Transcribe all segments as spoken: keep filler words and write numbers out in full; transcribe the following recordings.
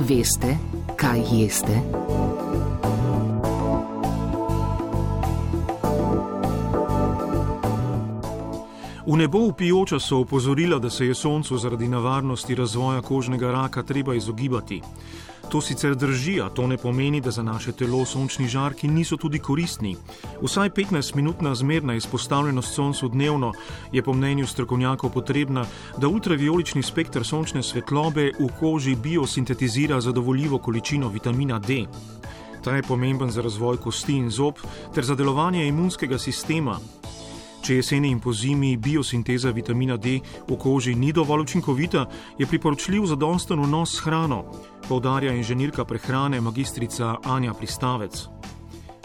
Veste, kaj jeste? V nebo vpijoča so opozorila, da se je soncu zaradi nevarnosti razvoja kožnega raka treba izogibati. To sicer drži, a to ne pomeni, da za naše telo sončni žarki niso tudi koristni. Vsaj petnajstminutna zmerna izpostavljenost soncu dnevno je po mnenju strokovnjakov potrebna, da ultravijolični spekter sončne svetlobe v koži biosintetizira zadovoljivo količino vitamina D. Ta je pomemben za razvoj kosti in zob ter za delovanje imunskega sistema. Če jeseni in pozimi biosinteza vitamina D v koži ni dovolj učinkovita, je priporočljiv zadosten vnos s hrano, poudarja inženirka prehrane magistrica Anja Pristavec.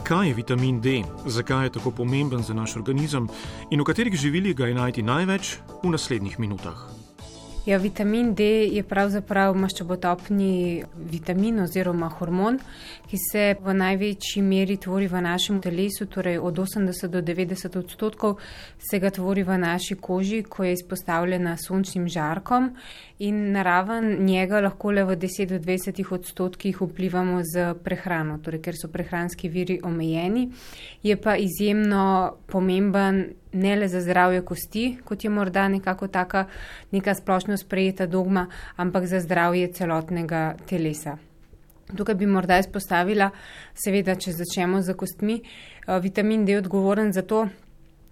Kaj je vitamin D, zakaj je tako pomemben za naš organizem in v katerih živilih ga je najti največ, v naslednjih minutah. Ja, vitamin D je pravzaprav maščobotopni vitamin oziroma hormon, ki se v največji meri tvori v našem telesu, torej od osemdeset do devetdeset odstotkov se ga tvori v naši koži, ko je izpostavljena sončnim žarkom, in naraven njega lahko le v deset do dvajset odstotkih vplivamo z prehrano, torej ker so prehranski viri omejeni, je pa izjemno pomemben ne le za zdravje kosti, kot je morda nekako taka neka splošno sprejeta dogma, ampak za zdravje celotnega telesa. Tukaj bi morda izpostavila, seveda, če začnemo z kostmi, vitamin D je odgovoren za to,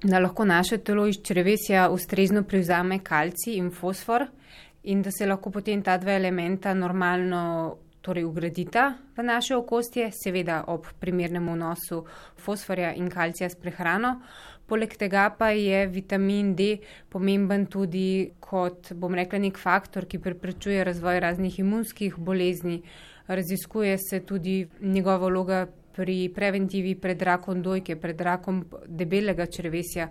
da lahko naše telo iz črevesja ustrezno prevzame kalcij in fosfor in da se lahko potem ta dva elementa normalno torej ugradita v naše okostje, seveda ob primernem vnosu fosforja in kalcija s prehrano. Poleg tega pa je vitamin D pomemben tudi kot, bom rekla, nek faktor, ki preprečuje razvoj raznih imunskih bolezni. Raziskuje se tudi njegova vloga pri preventivi pred rakom dojke, pred rakom debelega črevesja.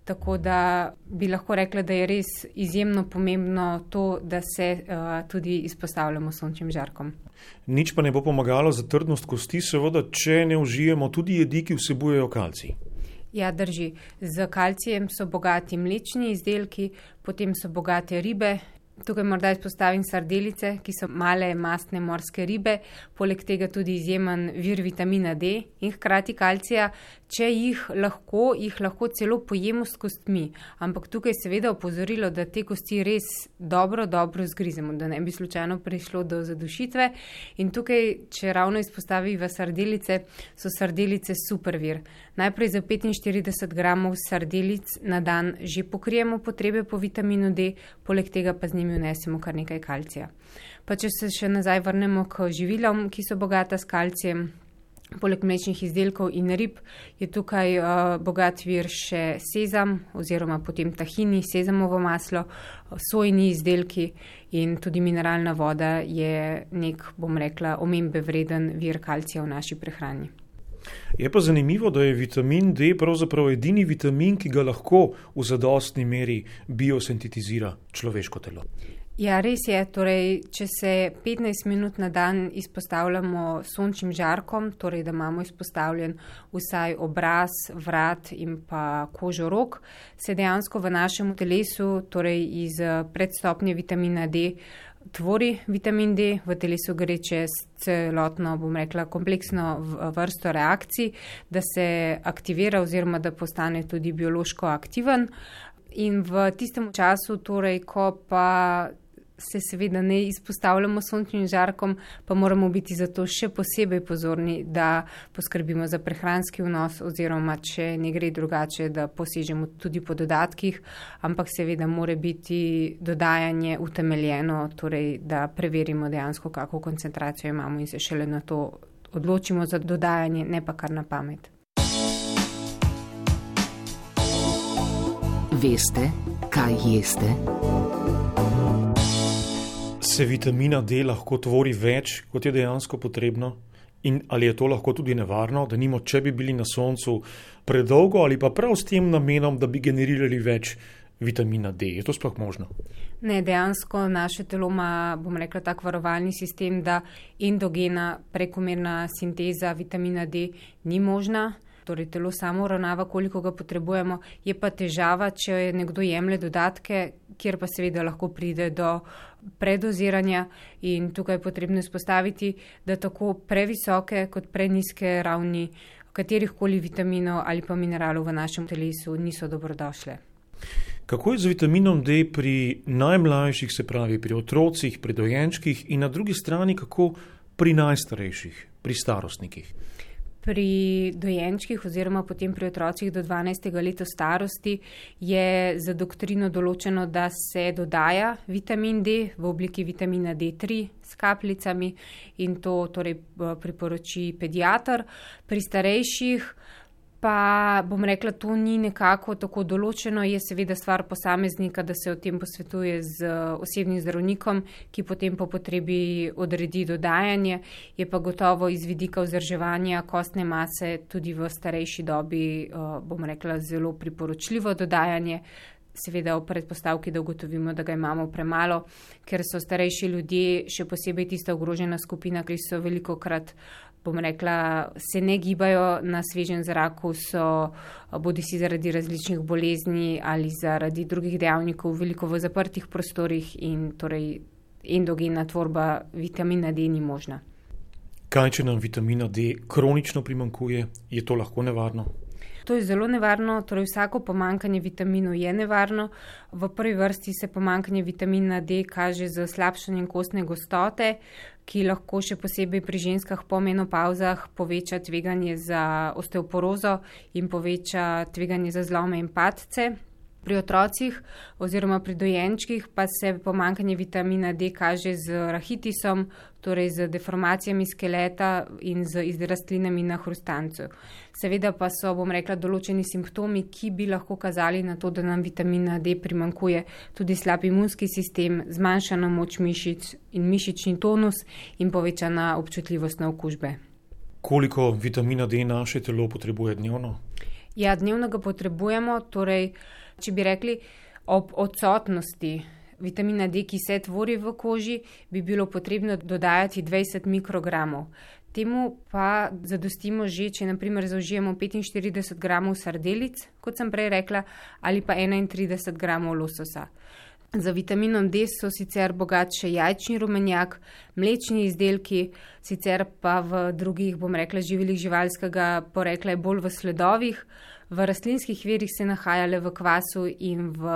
Tako da bi lahko rekla, da je res izjemno pomembno to, da se uh, tudi izpostavljamo sončnim žarkom. Nič pa ne bo pomagalo za trdnost kosti, seveda, če ne užijemo tudi jedi, ki vsebujejo kalcij. Ja, drži. Z kalcijem so bogati mlečni izdelki, potem so bogate ribe. Tukaj morda izpostavim sardelice, ki so male mastne morske ribe, poleg tega tudi izjemen vir vitamina D in hkrati kalcija. Če jih lahko, jih lahko celo pojemo s kostmi, ampak tukaj seveda opozorilo, da te kosti res dobro, dobro zgrizemo, da ne bi slučajno prišlo do zadušitve. In tukaj, če ravno izpostaviva sardelice, so sardelice super vir. Najprej za petinštirideset gramov sardelic na dan že pokrijemo potrebe po vitaminu D, poleg tega pa z njimi vnesemo kar nekaj kalcija. Pa če se še nazaj vrnemo k živilom, ki so bogata s kalcijem, poleg mlečnih izdelkov in rib je tukaj uh, bogat vir še sezam oziroma potem tahini, sezamovo maslo, sojni izdelki in tudi mineralna voda je nek, bom rekla, omembe vreden vir kalcija v naši prehrani. Je pa zanimivo, da je vitamin D pravzaprav edini vitamin, ki ga lahko v zadostni meri biosintetizira človeško telo. Ja, res je. Torej, če se petnajst minut na dan izpostavljamo sončnim žarkom, torej da imamo izpostavljen vsaj obraz, vrat in pa kožo rok, se dejansko v našem telesu, torej iz predstopnje vitamina D, tvori vitamin D, v telesu gre čez celotno, bom rekla, kompleksno vrsto reakcij, da se aktivira oziroma da postane tudi biološko aktiven. In v tistem času, torej, ko pa se seveda ne izpostavljamo sončnim žarkom, pa moramo biti zato še posebej pozorni, da poskrbimo za prehranski vnos oziroma, če ne gre drugače, da posežemo tudi po dodatkih, ampak seveda mora biti dodajanje utemeljeno, torej da preverimo dejansko, kako koncentracijo imamo in se šele na to odločimo za dodajanje, ne pa kar na pamet. Veste, kaj jeste? Se vitamina D lahko tvori več, kot je dejansko potrebno? In ali je to lahko tudi nevarno, da nimo, če bi bili na soncu predolgo ali pa prav s tem namenom, da bi generirali več vitamina D? Je to sploh možno? Ne, dejansko naše telo ima, bom rekla, tak varovalni sistem, da endogena prekomerna sinteza vitamina D ni možna. torej telo samo uravnava, koliko ga potrebujemo, je pa težava, če nekdo jemlje dodatke, kjer pa seveda lahko pride do predoziranja in tukaj je potrebno izpostaviti, da tako previsoke kot preniske ravni katerihkoli vitaminov ali pa mineralov v našem telesu niso dobrodošle. Kako je z vitaminom D pri najmlajših, se pravi pri otrocih, pri dojenčkih in na drugi strani kako pri najstarejših, pri starostnikih? Pri dojenčkih oziroma potem pri otrocih do dvanajstega leta starosti je za doktrino določeno, da se dodaja vitamin D v obliki vitamina D tri s kapljicami in to torej priporoči pediater. Pri starejših pa bom rekla, to ni nekako tako določeno, je seveda stvar posameznika, da se o tem posvetuje z osebnim zdravnikom, ki potem po potrebi odredi dodajanje, je pa gotovo iz vidika vzdrževanja kostne mase tudi v starejši dobi, bom rekla, zelo priporočljivo dodajanje, seveda v predpostavki, da ugotovimo, da ga imamo premalo, ker so starejši ljudje, še posebej tista ogrožena skupina, ki so velikokrat, bom rekla, se ne gibajo na svežem zraku, so bodi si zaradi različnih bolezni ali zaradi drugih dejavnikov veliko v zaprtih prostorih in torej endogena tvorba vitamina D ni možna. Kaj, če nam vitamina D kronično primanjkuje, je to lahko nevarno? To je zelo nevarno, torej vsako pomanjkanje vitaminov je nevarno. V prvi vrsti se pomanjkanje vitamina D kaže z slabšanjem kostne gostote, ki lahko še posebej pri ženskah po menopavzah poveča tveganje za osteoporozo in poveča tveganje za zlome in padce. Pri otrocih oziroma pri dojenčkih pa se pomanjkanje vitamina D kaže z rahitisom, torej z deformacijami skeleta in z izrastlinami na hrustancu. Seveda pa so, bom rekla, določeni simptomi, ki bi lahko kazali na to, da nam vitamina D primanjkuje, tudi slab imunski sistem, zmanjšana moč mišic in mišični tonus in povečana občutljivost na okužbe. Koliko vitamina D naše telo potrebuje dnevno? Ja, dnevno ga potrebujemo, torej če bi rekli, ob odsotnosti vitamina D, ki se tvori v koži, bi bilo potrebno dodajati dvajset mikrogramov. Temu pa zadostimo že, če naprimer zaužijemo petinštirideset gramov sardelic, kot sem prej rekla, ali pa enaintrideset gramov lososa. Za vitaminom D so sicer bogat še jajčni rumenjak, mlečni izdelki, sicer pa v drugih, bom rekla, živilih živalskega porekla je bolj v sledovih, v rastlinskih virih se nahaja le v kvasu in v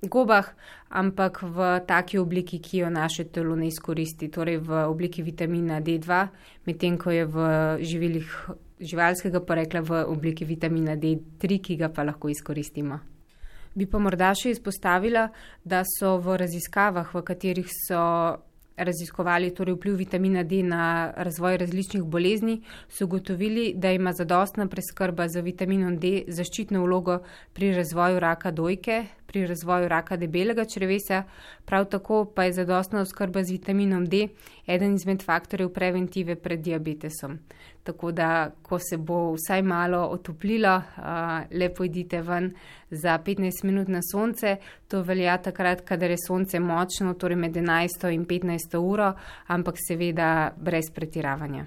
gobah, ampak v taki obliki, ki jo naše telo ne izkoristi, torej v obliki vitamina D dva, medtem ko je v živilih živalskega porekla v obliki vitamina D tri, ki ga pa lahko izkoristimo. Bi pa morda še izpostavila, da so v raziskavah, v katerih so raziskovali torej vpliv vitamina D na razvoj različnih bolezni, so ugotovili, da ima zadostna preskrba z vitaminom D zaščitno vlogo pri razvoju raka dojke, pri razvoju raka debelega črevesa, prav tako pa je zadostna oskrba z vitaminom D eden izmed faktorjev preventive pred diabetesom. Tako da, ko se bo vsaj malo otoplilo, lepo idite ven za petnajst minut na sonce. To velja takrat, kadar je sonce močno, torej med enajsto in petnajsto uro, ampak seveda brez pretiravanja.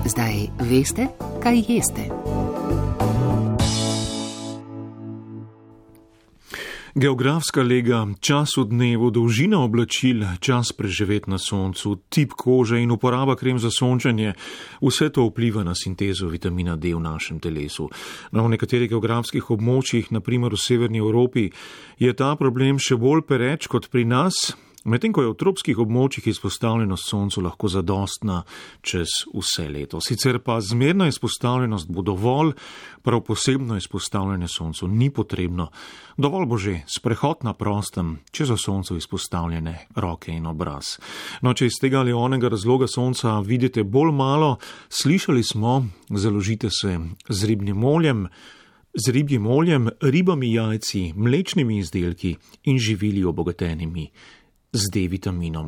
Zdaj veste, kaj jeste. Geografska lega, čas v dnevu, dolžina oblačil, čas preživet na soncu, tip kože in uporaba krem za sončenje, vse to vpliva na sintezo vitamina D v našem telesu. Na nekaterih geografskih območjih, naprimer v severni Evropi, je ta problem še bolj pereč kot pri nas, medtem ko je v tropskih območjih izpostavljenost soncu lahko zadostna čez vse leto. Sicer pa zmerna izpostavljenost bo dovolj, prav posebno izpostavljanje soncu ni potrebno. Dovolj bo že sprehod na prostem, če so soncu izpostavljene roke in obraz. No, če iz tega ali onega razloga sonca vidite bolj malo, slišali smo, založite se z ribnim oljem, z ribjim oljem, ribami, jajci, mlečnimi izdelki in živili obogatenimi z D-vitaminom.